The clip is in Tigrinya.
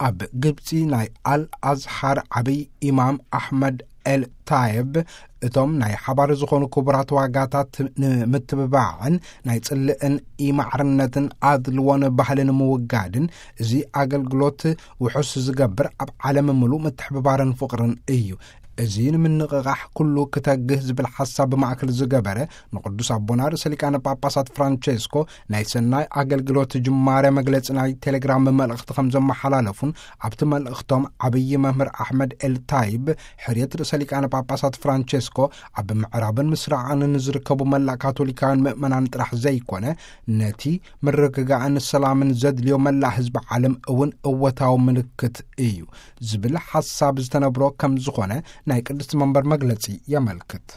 ኣብ ግብፂ ናይ ኣል ኣዝሓር ዓብይ ኢማም ኣሕመድ ኤል ታይብ፣ እቶም ናይ ሓባር ዝኾኑ ክቡራት ዋጋታት ንምትብባዕን ናይ ጽልእን ኢማዕርነትን ኣድልዎን ባህልን ምውጋድን፣ እዚ ኣገልግሎት ውሑስ ዝገብር ኣብ ዓለም ምሉእ ምትሕብባርን ፍቕርን እዩ። እዚ ንምንቕቓሕ ኩሉ ክተግህ ዝብል ሓሳብ ብማእከል ዝገበረ ንቅዱስ ኣቦና ርእሰ ሊቃነ ጳጳሳት ፍራንቸስኮ ናይ ሰናይ ኣገልግሎት ጅማረ መግለጺ ናይ ቴሌግራም መልእኽቲ ከም ዘመሓላለፉን፣ ኣብቲ መልእኽቶም ዓብዪ መምህር ኣሕመድ ኤል ታይብ፣ ሕርየት ርእሰ ሊቃነ ጳጳሳት ፍራንቸስኮ ኣብ ምዕራብን ምስራቕን ንዝርከቡ መላእ ካቶሊካውያን ምእመናን ጥራሕ ዘይኮነ፣ ነቲ ምርግጋእን ሰላምን ዘድልዮ መላእ ህዝቢ ዓለም እውን እወታዊ ምልክት እዩ ዝብል ሓሳብ ዝተነብሮ ከም ዝኾነ ናይ ቅድስቲ መንበር መግለጺ የመልክት።